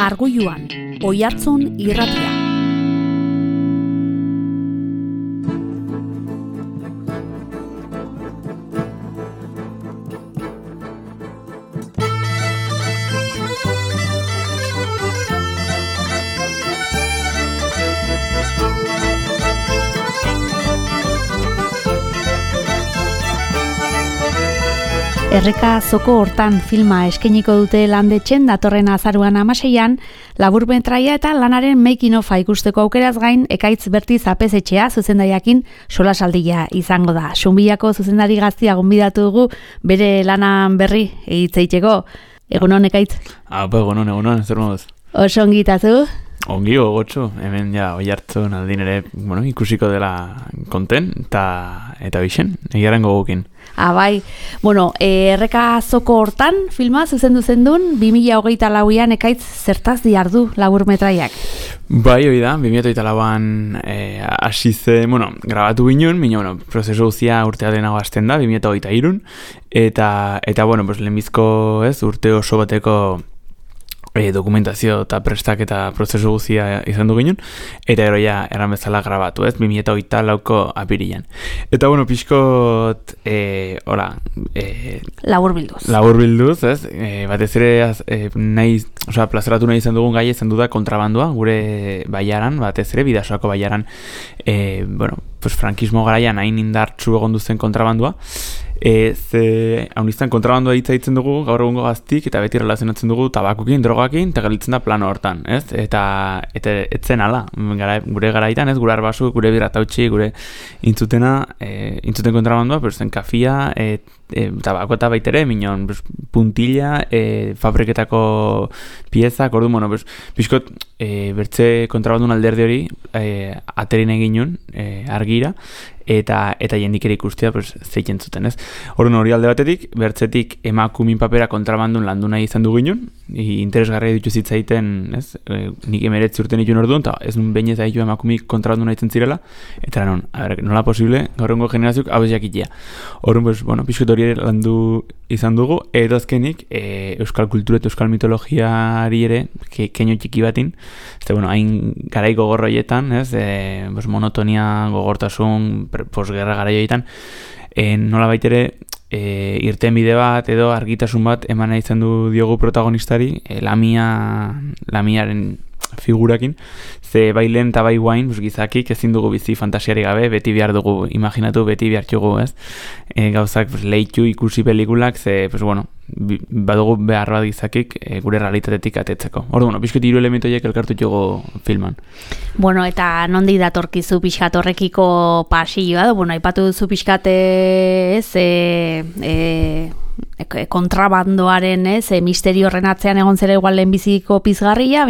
Arguiluan, Oihartzun Irratia. Erreka Zoko Hortan filma eskainiko dute Landetxen datorren azaruan 16an, laburmetraia eta lanaren making of ikusteko aukeraz gain, Ekaitz Bertiz Apezetxea zuzendariakin solasaldia izango da. Xunbillako zuzendari gaztia gonbidatu dugu bere lanan berri hitz egiteko. Egunon, Ekaitz? Egunon, zer moduz? Oso ongi itazu? Ongi gogotxo, hemen ja Oihartzun aldin ere ikusiko dela konten eta bixen, egiaren gogokin. Bai, Erreka Zoko Hortan filma zuzendu zendun 2024an Ekaitz zertaz diardu laburmetraiak? Bai, hori da, 2024an hasi zen, grabatu ginen, prozesu guztia urtea denago hasten da, 2023an, eta lehenbizko urte oso bateko dokumentazio eta prestak eta prozesu guztia izan du ginen, eta gero ja erran bezala grabatu, 2024ko apirilean. Eta pixkot, Laburbilduz, batez ere plazaratu nahi izan dugun gai izan du da kontrabandua, gure baiaran, batez ere, Bidasoako baiaran, frankismo garaian hain indartsu egon duzen kontrabandua, hauniztan kontrabandua hitza ditzen dugu gaur egungo gaztik, eta beti relazionatzen dugu tabakukin, drogakin, eta galitzen da plano hortan, eta etzen ala, gure garaitan, gure arbasu, gure biratautxi, gure intzuten kontrabandua, zen kafia, tabako eta baitere, minon, puntilla, fabriketako piezak, ordu, pixkot, bertze kontrabandun alderdi hori, aterin eginun, argira, eta jendik ere ikustea zeitzen zuten, Orduan hori alde batetik, bertzetik emakumin papera kontrabandun landu nahi izan du ginen, interesgarria ditu zitzaiten, nik 19 urten itun orduan, eta ez nun behin ez haitu emakumik kontrabandun nahi zirela, eta nola posible, gaurrengo generazioak hau ez jakitea. Orduan, pixkot hori ere landu izan dugu, edo azkenik, euskal kultura eta euskal mitologiari ere, keino txiki batin, hain garai gogorroietan, monotonia, gogortasun, posgerra garaioetan, nola baitere irten bide bat edo argitasun bat eman nahi izan du diogu protagonistari, Lamiaren figurakin, ze bai lehen eta bai guain, gizakik ezin dugu bizi fantasiari gabe, beti behar dugu, imaginatu, beti behar txugu, gauzak leitu ikusi pelikulak, ze, badugu behar bat gizakik gure realitatetik atetzeko. Pixkot 3 elementoiek elkartu txugu filman. Eta nondi datorkizu pixkat horrekiko pasilloa, aipatu duzu pixkat kontrabandoaren, misterio horren atzean egon zera igual lehenbiziko pizgarria,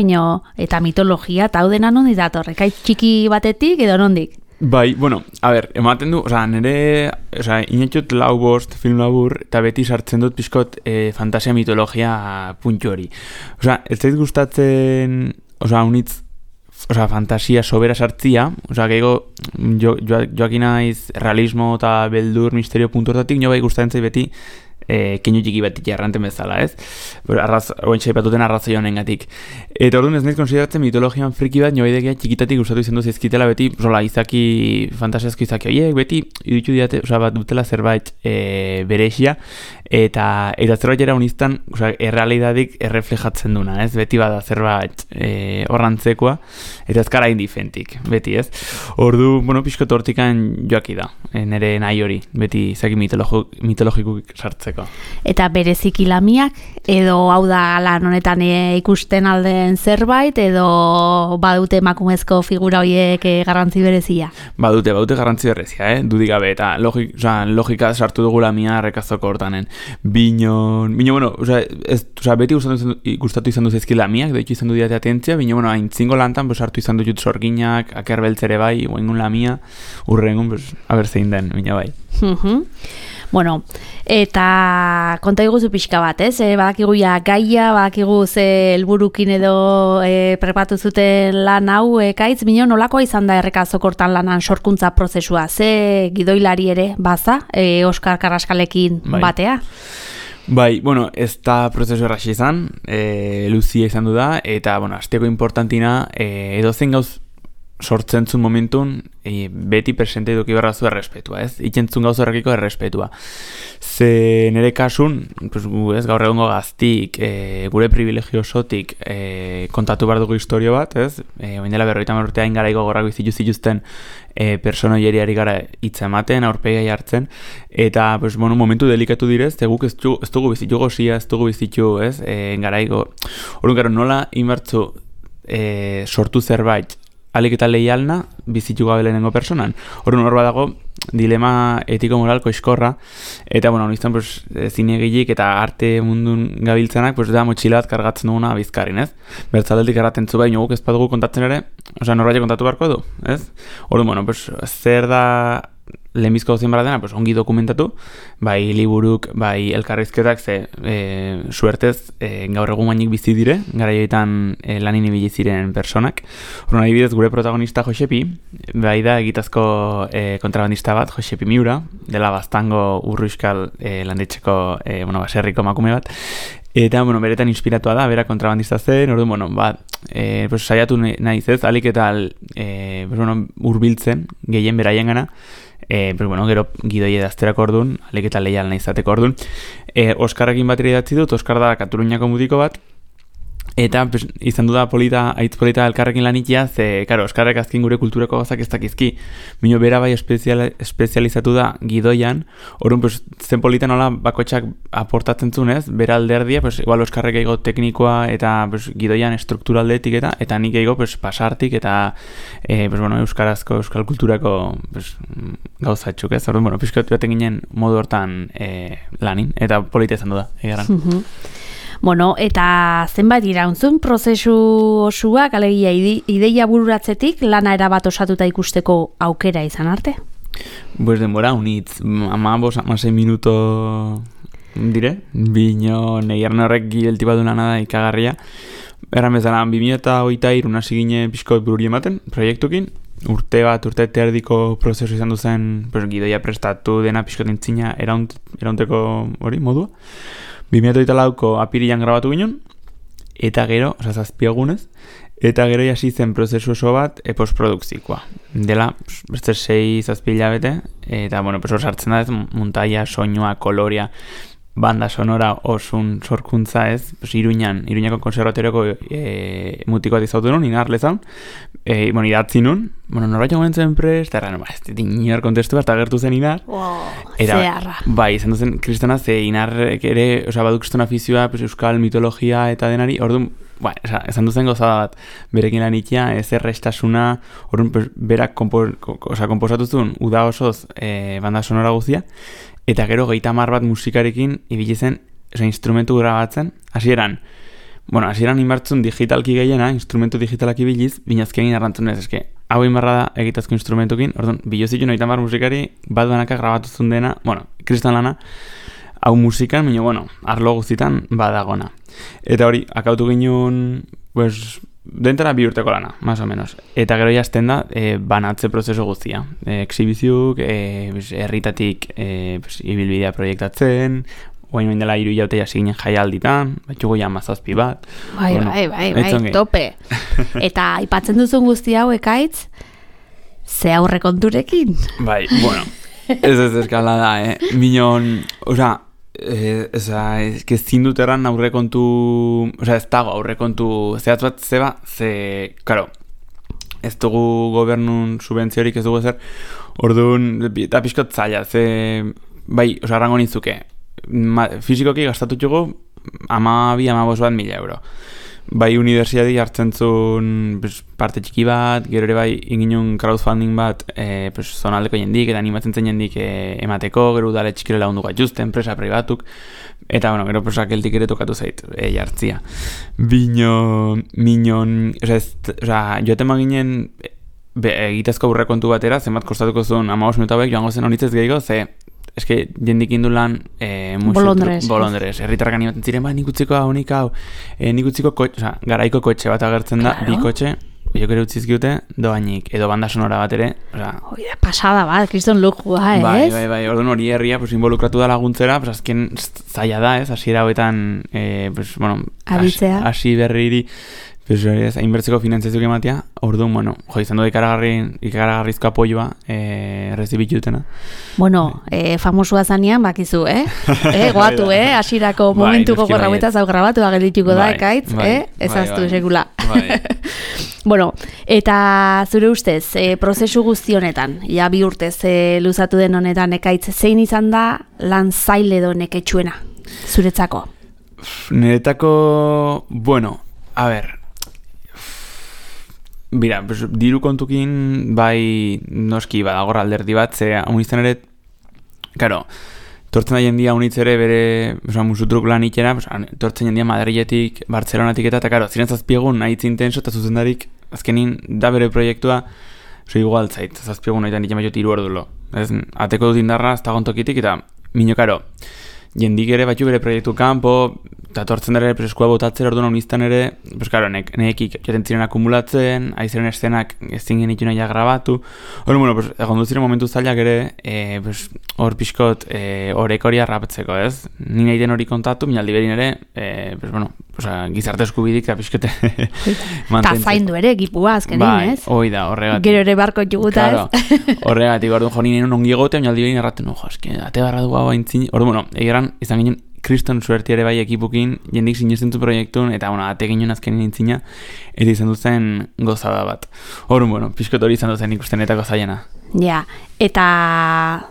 eta mitologia, eta hau dena nondi dator, Ekaitz txiki batetik edo nondik? Bai, ematen du, nire, inatxot 4-5 film labur, eta beti sartzen dut pixkot fantasia mitologia puntu hori. Ez zait gustatzen, unitz, fantasia sobera sartzia, gehiago joakin naiz realismo eta beldur misterio puntu hortatik, nio bai gustatzen zait beti keinu txiki bat jarranten bezala, oentxe ipatuten arrazoi honengatik. Eta orduan ez nahiz konsideratzen mitologian friki bat, nio baidekia txikitatik gustatu izan duz ezkitela beti, izaki, fantasiazko izaki horiek, beti idutu diate, bat dutela zerbait berexia, eta zerbait era uniztan, errealidadik erreflejatzen duna, beti bada zerbait horrantzekoa, eta ezkara indifentik, beti, Ordu, pixkot hortikan joaki da, nire nahi hori, beti izaki mitologikuk sartzeko. Eta bereziki Lamiak, edo hau da lan honetan ikusten alden zerbait, edo badute emakumezko figura horiek garrantzi berezia? Badute garrantzi berezia, dudik gabe, eta logika sartu dugu Lamia Erreka Zoko Hortanen. Beti gustatu izan duz ezki Lamiak, doitu izan du diate atentzia, hain zingo lantan, sartu izan dut sorginak, akerbeltzere bai, oingun Lamia, urrengun, aber zein den, bai. Eta konta iguzu pixka bat, badakigu gaia, badakigu ze helburukin edo prepatu zuten lan hau, Ekaitz, nolakoa izan da Erreka Zoko Hortan lanan sorkuntza prozesua, ze gidoilari ere baza, Oskar Karraskalekin batea? Bai, bueno, ez da prozesu erraxi izan, luzia izan du da, eta, bueno, azteko importantina, edozen gauz sortzen zuen momentun, beti presente eduki barra zu errespetua, ez? Ikentzun gauz horrekiko errespetua. Ze nire kasun, pues, ez, gaur egongo gaztik, gure privilegio osotik kontatu behar dugu historio bat, ez? Oin dela 50 urtean garaiko gorrako zituzten personoieriari gara hitz ematen, aurpegai hartzen, eta pues, bueno, momentu delikatu direz, guk ez dugu bizitu gozia, ez dugu bizitu, ez? Garaiko, orduan gero nola inbertzu sortu zerbait, alik eta leialna bizitu gabe lehenengo personan. Orduan hor badago dilema etiko-moralko eskorra, eta bueno, izan pues, zinegilik eta arte mundun gabiltzenak pues, da motxila bat kargatzen duguna bizkarin, ez? Bertzaldetik erraten zu baino guk ez badugu kontatzen ere, osea, norbait kontatu beharko du, ez? Orduan, bueno, pues, zer da lehenbizko gauzen barra dena, pues, ongi dokumentatu, bai liburuk, bai elkarrizketak, ze suertez gaur egun gainik bizi dire, garaioetan lanin ibili ziren personak. Horren adibidez, gure protagonista Josepi, bai da egitazko kontrabandista bat, Josepi Miura, dela Baztango urruiskal landetxeko baserriko emakume bat, eta, bueno, beretan inspiratua da, bera kontrabandista zen, orduan, bueno, pues, saiatu nahiz ez, alik eta pues, bueno, urbiltzen, gehien beraien gana, pues, bueno, gero gidoi edazterako orduan, alik eta leial nahi izateko orduan. Oskarrekin batera idatzi dut, Oskar da Kataluniako mutiko bat, eta pues, izan du da aitz polita elkarrekin lanitia, ze, karo, Oskarrek azkin gure kulturako gozak ez dakizki. Mino bera bai espezializatu da gidoian, orduan, pues, zen polita nola bakotxak aportatzen zunez, bera alderdia, pues, igual Oskarrek eigo teknikoa eta pues, gidoian strukturaldetik eta nik eigo pues, pasartik eta pues, bueno, euskarazko, euskal kulturako pues, gauzatxuk, ez? Orduan, bueno, pixkot baten ginen modu hortan lanin, eta polita izan du da, egaran. Bueno, eta zenbait irauntzun prozesu osuak, alegia ideia bururatzetik lana erabat osatuta ikusteko aukera izan arte? Pues denbora, unitz, 15-16 minuto dire, bino negiarne horrek gilti badu lana da ikagarria. Erran bezala, 2023 hasi gine pixkot bururi ematen, proiektukin, urte erdiko prozesu izan duzen, pues, gidoia prestatu dena pixkot intzina eraunteko hori modua. 2024ko apirilan grabatu ginen, eta gero, zazpiegunez, eta gero hasi zen prozesu oso bat postprodukzikoa. Dela, beste 6-7 hilabete, eta, bueno, hor sartzen da ez, muntaia, soinua, kolorea, banda sonora osun sorkuntza ez, Iruñako konservatorioko mutiko bat izautu nun, inarlezan, idatzi nun, norbait egon zen prest, eta ez inar kontestu bat agertu zen inar. Zeharra. Bai, izan duzen kristana, ze inarrek ere, baduk kriston afizioa, euskal mitologia eta denari, orduan, esan duzen gozada bat, berekin lanitia, ez errestasuna, orduan, berak komposatu zuen, uda osoz, banda sonora guzia, eta gero 30 bat musikarekin ibili zen, instrumentu grabatzen, hasieran inbartzun digitalki gehiena, instrumentu digitalak ibiliz, binazkein arrantzun ez, hau inbarra da egitazko instrumentukin, orduan, bilozitu 30 musikari, bat banaka grabatuzun dena, kristan lana, hau musikan, arlo guztitan badagona. Eta hori, akautu ginen, pues, dentara 2 urteko lana, más o menos. Eta gero jazten da, banatze prozesu guztia. Exhibiziuk, herritatik ibilbidea proiektatzen, oain dela 3 hilaute hasi ginen jaialditan, batxugo ja 17 bat. Bai, tope. Eta aipatzen duzun guzti hau ekaitz, ze aurrekonturekin? Bai, bueno, ez eskala da, minon, osea, ez zindut erran aurrekontu, ez dago aurrekontu zehatz bat zeba, karo, ez dugu gobernun subentziorik ez dugu ezer, orduan, eta pixkot zaila, bai, arrango nintzuke, fizikoki gastatu txugu 12-15 euro. Bai, universidadi hartzen zuen parte txiki bat, gero ere bai inginun crowdfunding bat zonaldeko jendik eta animatzen zen jendik emateko, gero udale txikire lagundu gaituzte, enpresa pribatuk, eta gero keltik ere tokatu zait jartzia. Joaten maginen egitazko aurrekontu batera, zenbat kostatuko zuen 15 minutu hauek, joango zen honitzez gehiago, eske jendik indulan bolondrez, herritarrak animatzen ziren, nik utziko hau, nik utziko garaiko kotxe bat agertzen da, bi kotxe, biok ere utzizkiute, doainik, edo banda sonora bat ere, Oida, pasada bat, kriston lujua, ez? Bai, orduan hori herria, pues, involukratu da laguntzera, pues, azken zaila da, ez, hasiera hauetan, pues, bueno, hasi berriri, pues, hainbertzeko finantzazioak ematea, orduan, bueno, izan du ikaragarrizko apoioa, errezibitutena. Bueno, famosua zanean, bakizu, goatu, hasierako momentuko gorrauetaz hau grabatu agelituko da, ekaitz, ezaztu sekula. Bueno, eta zure ustez, prozesu guzti honetan, ja 2 urtez luzatu den honetan, ekaitz, zein izan da lan zaile edo neketsuena, zuretzako? Niretako, bueno, a ber, Bira, pues, diru kontukin bai noski badagor alderdi bat, ze haunizten ere, karo, tortzen da jendia haunitz ere bere musutruk lan itxera, tortzen jendia Madriletik, Bartzelonatik eta karo, ziren zazpiegun nahi zintenso eta zuzendarik, azkenin da bere proiektua, igual zait, zazpiegun nahi itxen baiot 3 ordulo. Ateko dut indarra, ez da gontokitik, eta minio, karo, jendik ere batxu bere proiektu kanpo, eta tortzen ere preskua botatzera orduan honiztan ere, pues claro, nekik jaten ziren akumulatzen, aiziren eszenak ezin genitu nahiak grabatu. Bueno, pues, egon ziren momentu zailak ere, pues, hor pixkot horek hori arrapetzeko, ez? Ni nahi den hori kontatu, minaldi berin ere, pues, bueno, pues, gizarte eskubidik eta pixkote mantentzen. Ta zaindu ere, gipua azkenin, ez? Hoi da, horregatik. Gero ere barko juguta, ez? Horregatik, orduan jo ninen ongi egote, minaldi berin erraten, eske, ate barra du hau aintzin. Orduan, bueno, egeran, izan ginen, kriston suerti ere bai ekipukin, jendik sinesten du proiektun, eta, bueno, ate ginen azkenin intzina, eta izan duzen gozada bat. Horren, bueno, pixkot hori izan duzen ikustenetako zaiena. Ja, eta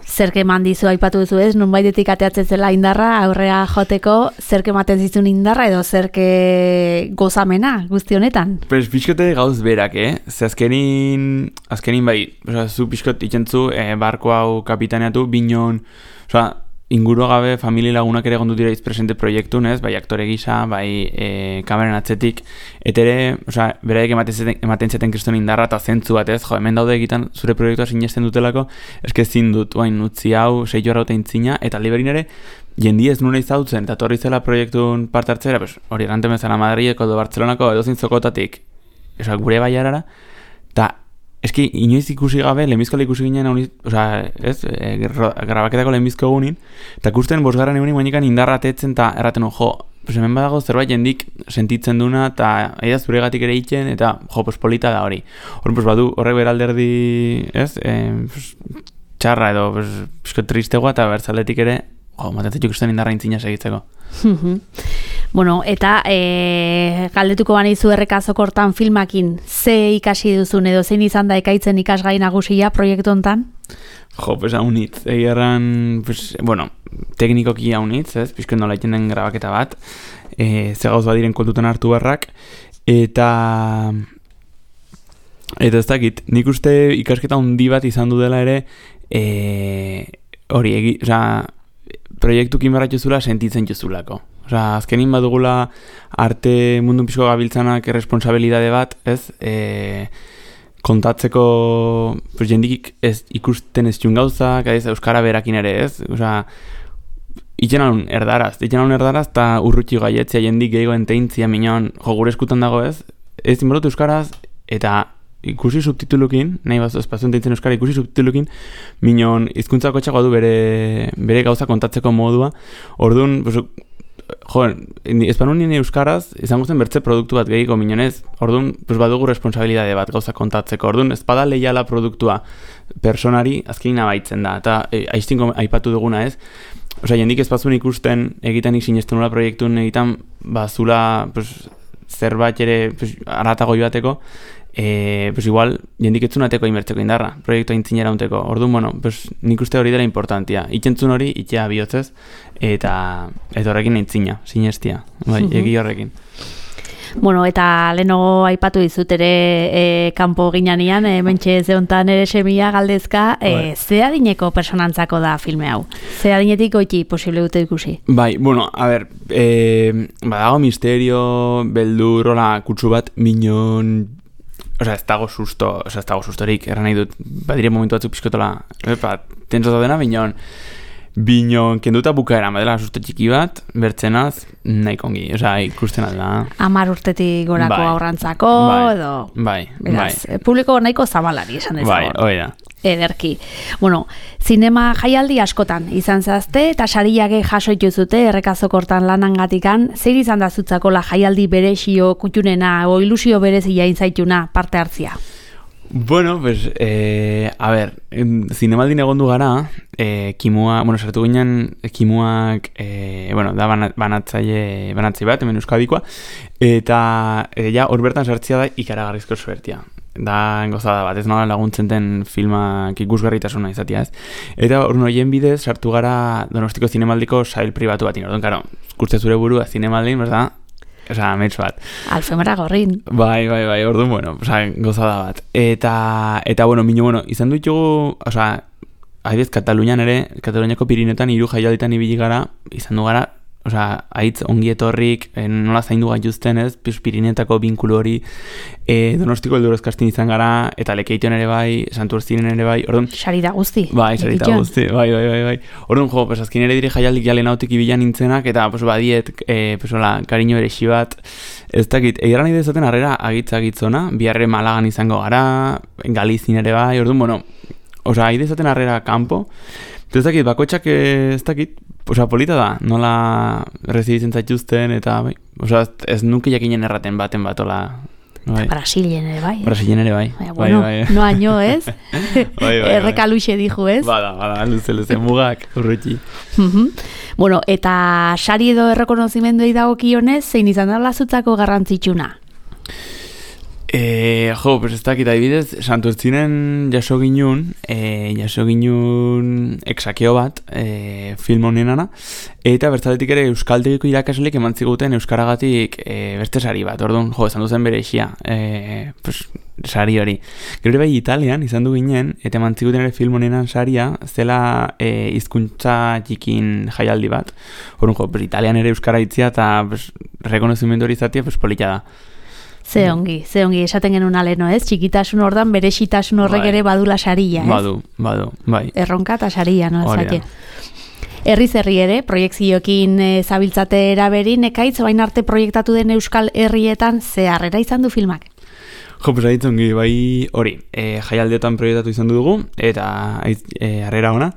zerke eman dizu aipatu duzu ez, nonbaitetik ateatzen zela indarra, aurrera joteko, zerke ematen zizun indarra, edo zerke gozamena guzti honetan? Pues pixkote gauz berak, Ze azkenin bai, zu pixkot itxentzu, barko hau kapitaneatu, binon, inguru gabe familia lagunak ere gondut dira izpresente proiektun, ez? Bai aktore gisa, bai kameren atzetik, eta ere, beraiek ematen zeten kriston indarra eta zentzu bat, ez? Hemen daude egiten zure proiektua sinesten dutelako, eske ezin dut, utzi hau, 6 jorra eta intzina, eta liberin ere, jendi ez nuna izautzen, eta torri zela proiektun parte hartzera, hori erranten bezala Madrileko edo Bartzelonako edo zintzokotatik, gure baiarara, eta eski, inoiz ikusi gabe, lehenbizkola ikusi ginen, grabaketako lehenbizko egunin, eta ikusten 5. egunin guainekan indarra atetzen, eta erraten, hemen badago zerbait jendik sentitzen duna, eta aida zuregatik ere itxen, eta polita da hori. Badu, horrek beralderdi, txarra edo, pixko tristegoa, eta bertzaletik ere, matentzat ikusten indarra intzina segitzeko. Bueno, eta galdetuko banizu errekazoko hortan filmakin, ze ikasi duzun edo zein izan da ekaitzen ikasgai nagusia proiektu hontan? Pues haunitz, egeran, bueno, teknikoki haunitz, pixko nola iten den grabaketa bat, ze gauz badiren kontutan hartu barrak, eta ez dakit, nik uste ikasketa handi bat izan du dela ere, hori, proiektukin barratxo zula sentitzen jozulako. Azkenin badugula arte mundun pixko gabiltzanak responsabilidade bat, ez? Kontatzeko jendik ez ikusten ez gauzak, euskara berakin ere, ez? Itxen alun erdaraz, eta urrutxi gaietzia jendik gehiagoen teintzia minon gure eskutan dago, ez? Ez inbordut euskaraz, eta ikusi subtitulukin, nahi bazo espazioen teintzen euskara ikusi subtitulukin, minon hizkuntzako txagoa du bere gauza kontatzeko modua. Orduan, espanun nire euskaraz, izango zen bertze produktu bat gehiago minonez, orduan, badugu responsabilidade bat gauza kontatzeko. Orduan, espada lehiala produktua personari azkenin abaitzen da, eta aiztinko aipatu duguna ez. Jendik espazuen ikusten egiten sinesten nola proiektuen egiten, zula zerbait ere aratago joateko, igual jendik etzunateko inbertzeko indarra, proiektua intzinera unteko. Orduan, bueno, nik uste hori dela importantia. Itxentzun hori, itxea bihotzez, eta horrekin intzina, sinestia, egi horrekin. Bueno, eta leheno aipatu dizut ere kanpo ginanian, mentxe zeontan ere semia galdezka, ze adineko personantzako da filme hau? Ze adinetik goiti posible dute ikusi? Bai, bueno, a ber, badago misterio, beldur, hola, kutsu bat, minon... ez dago sustorik, erran nahi dut, badire momentu batzuk pixkotola, tenso da dena, minon, Bino, kenduta bukaera, madela susto txiki bat, bertzenaz, nahi kongi, ikusten alda. 10 urtetik gorako aurrantzako, edo... Beraz, publiko nahiko zabalari esan ezagon. Hoi da. Ederki. Bueno, zinema jaialdi askotan izan zazte, eta sariake jasoitu zute errekazokortan lanangatikan, zer izan da zutzako la jaialdi berezio kutxunena, o ilusio berezia inzaituna parte hartzia? Bueno, pues, a ver, zinemaldin egondu gara, kimua, sartu ginen, kimuak, da banatzaile bat, hemen Euskadikoa, eta ja, hor bertan sartzia da ikaragarrizko suertia. Da gozada bat, ez nola laguntzen den filmak ikusgarritasuna izatea, ez? Eta hor noien bidez sartu gara Donostiko zinemaldiko sail pribatu batin. Orduan, karo, ikuste zure burua zinemaldin, berda? Metz bat. Alfemara gorrin. Bai, orduan, gozada bat. Eta izan ditugu, adibidez, Kataluniako Pirinetan 3 jaialditan ibili gara, izan du gara, haitz ongi etorrik, nola zaindu gaituzten, ez, Pirinetako binkulu hori, Donostiko Eldurrez kastin izan gara, eta Lekeition ere bai, Santurtzinen ere bai, orduan... Sarita guzti. Bai. Orduan, azkin ere dire jaialdik jalen hautik ibilan nintzenak, eta badiet, kariño ere bat, ez dakit, egeran nahi dezaten harrera agitz-agitzona, biharre Malagan izango gara, Galizin ere bai, orduan, haide dezaten harrera kanpo, ez dakit, bakoitzak ez dakit, polita da, nola rezibitzen zaituzten, eta ez nuke jakinen erraten baten batola. Brasilen ere bai. Brasilen ere bai. Bai. No año, ez? Erreka luxe dijo, ez? Bada, luze, mugak, urruti. Bueno, eta sari edo errekonozimenduei dagokionez, zein izan da lazutzako garrantzitsuna? Ez dakit adibidez, Santurtzinen jaso ginun exakeo bat film honenana, eta bertzaletik ere euskaltegiko irakasleek eman ziguten euskaragatik beste sari bat, orduan, esan duzen bere isia, sari hori. Gero bai Italian izan du ginen, eta eman ziguten ere film honenan saria, zela hizkuntza txikin jaialdi bat, orduan, Italian ere euskara itzia, eta rekonozimendu hori izatea, polita da. Ze ongi, esaten genuen aleno, ez? Txikitasun ordan berezitasun horrek ere badula saria, ez? Badu, bai. Erronka eta saria, no? Herri ere, proiektzioekin zabiltzate eraberin, ekaitz bain arte proiektatu den Euskal Herrietan zeharrera izan du filmak? Ongi, bai hori, jaialdiotan proiektatu izan dugu, eta harrera ona.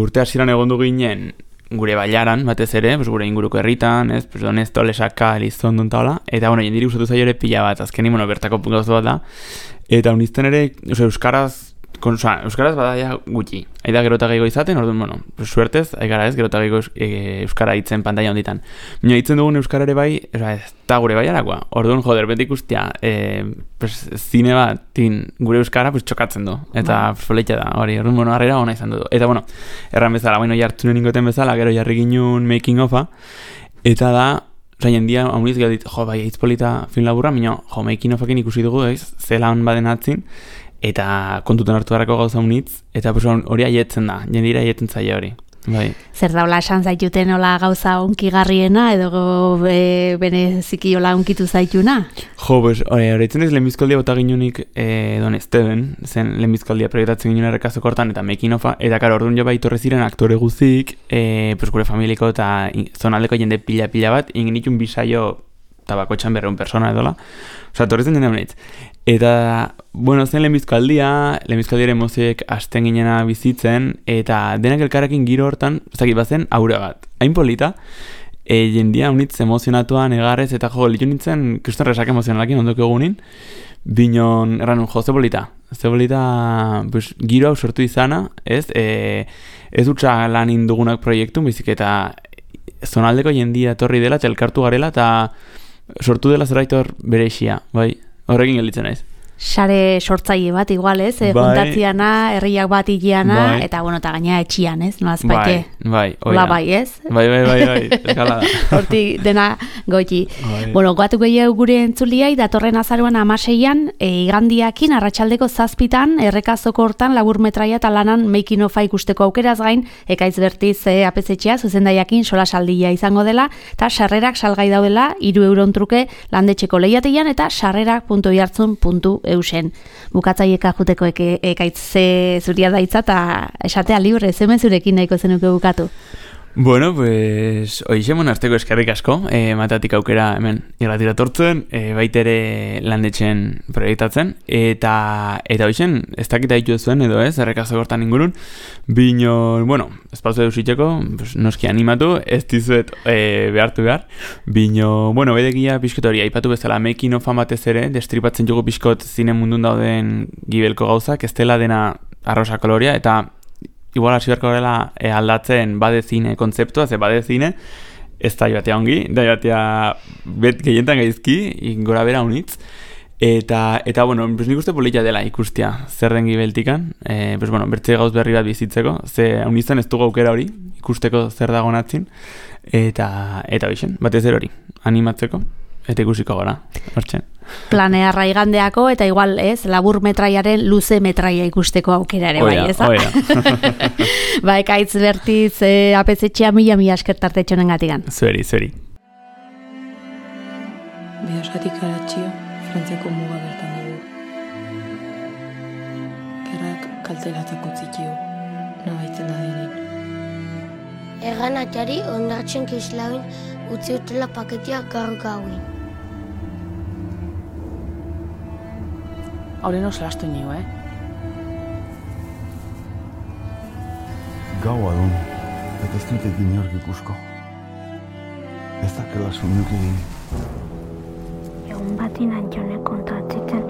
Urte hasieran egondu ginen, gure bailaran, batez ere, gure inguruko herritan, ez, Donesto, Lesaka, Elizondo eta hola, eta, jendiri gustatu zaio ere pila bat, azkeni, bertako gauza bat da, eta unizten ere, euskaraz badaia gutxi, aida gerota gehiago izaten, orduan, suertez, aigara ez, gerota gehiago euskara hitzen pantaila honditan. Baina hitzen dugun euskara ere bai, ez da gure baiarakoa, orduan, beti ikustia, zine bat, gure euskara, txokatzen du, eta foleitza da, hori, orduan, harrera hona izan du. Eta, erran bezala, jartzunen ingoten bezala, gero jarri ginun making ofa, eta da, jendia, hauniz gero dit, bai, hitz polita film laburra, making ofakin ikusi dugu, zelan baden atzin, eta kontutan hartu harako gauza unitz, eta hori aietzen da, jendira aietzen zaila hori. Bai. Zer daula esan zaituten hola gauza unkigarriena, edo bereziki hola unkitu zaituna? Horretzen ez lehenbizkoldia bota ginunik Don Esteban, zen lehenbizkoldia proiektatzen ginen errekazokortan, eta making ofa, eta karo orduan jo bai torre ziren aktore guzik, gure familiko eta zonaldeko jende pila bat, ingenitun bisaio eta bakoitxan 200 persona edola, torrezen jende honetz. Eta, zen lehenbizkaldiaren moziek hasten ginena bizitzen, eta denak elkarrekin giro hortan, zakit bazen, aurre bat. Hain polita, jendia unitz emozionatuan egarrez, eta litu nintzen, kriston resak emozionalakin ondoko egunin, binon, erran, ze polita, giro hau sortu izana, ez utza lan indugunak proiektu, bizik eta zonaldeko jendia etorri dela, eta elkartu garela, eta sortu dela zerbait hor bereixia, bai? Horrekin gelditzen naiz. Sare sortzaile bat, igual, ez? Juntatziana, herriak bat igiana, eta, eta gaina etxian, ez? Nola azpaite? Bai, oida. Bai, ez? Bai, eskalada. Hortik dena goiti. Goatu gehiago gure entzuliai, datorren azaruan 16an, igandiakin, arratsaldeko 7 errekazoko hortan, laburmetraia eta lanan making ofa ikusteko aukeraz gain, ekaitz bertiz apezetxea, zuzendaiakin solasaldia izango dela, eta sarrerak salgai daudela, €3 truke landetxeko lehiatian, eta sarrerak.oihartzun.eus eusen. Bukatzaieka juteko ekaitze zuria daitza eta esatea libre, zemen zurekin nahiko zenuke bukatu? Bueno, pues, hoixemon azteko eskerrik asko, matatik aukera hemen irratira tortzen, baitere landetxen proiektatzen, eta hoixen, ez dakita ditu zuen edo ez, errekazo gortan ingurun, bino, bueno, espazio eusitxeko, pues, noski animatu, ez dizuet behartu behar, bino, bueno, bedegia pixkot hori, aipatu bezala, making of batez ere, destripatzen jugu pixkot zine mundun dauden gibelko gauzak, ez dela dena arrosa koloria, eta igual hasi beharko dela aldatzen bade zine kontzeptua, ze bade zine ez da joatea ongi, da joatea gehientan gaizki, gora bera unitz, eta bueno, pues nik uste polita dela ikustia zer den gibeltikan, pues bueno, bertze gauz berri bat bizitzeko, ze unizan ez dugu aukera hori, ikusteko zer dago natzin, eta hoixen, batez hori, animatzeko, eta ikusiko gara, hortzen. Planea raigandeako eta igual, ez, labur metraiaren luze metraia ikusteko aukera ere bai, ez? Ba, ekaitz bertiz apezetxea mila eskertarte txonen gatigan. Zueri. Bidasatik aratxio, Frantziako muga bertan dugu. Gerrak kaltelatzako txikio, nabaitzen da denin. Erran atxari ondartzen kislauin utzi utela paketia gaur gauin. Hauren oso lastu nio, Gaua dun, eta ez dut egin jork ikusko. Ez dakela suinuki egin. Egun batin antxonek kontatzen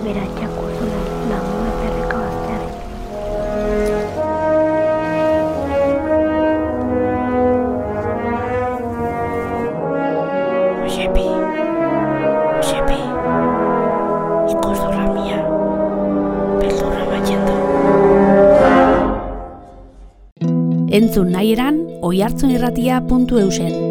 beratxak urzulen lagun eperreka bazteari. Osepi, ikus durra mia, beldurra batxendo. Entzun nahi eran, oihartzunirratia.eusen.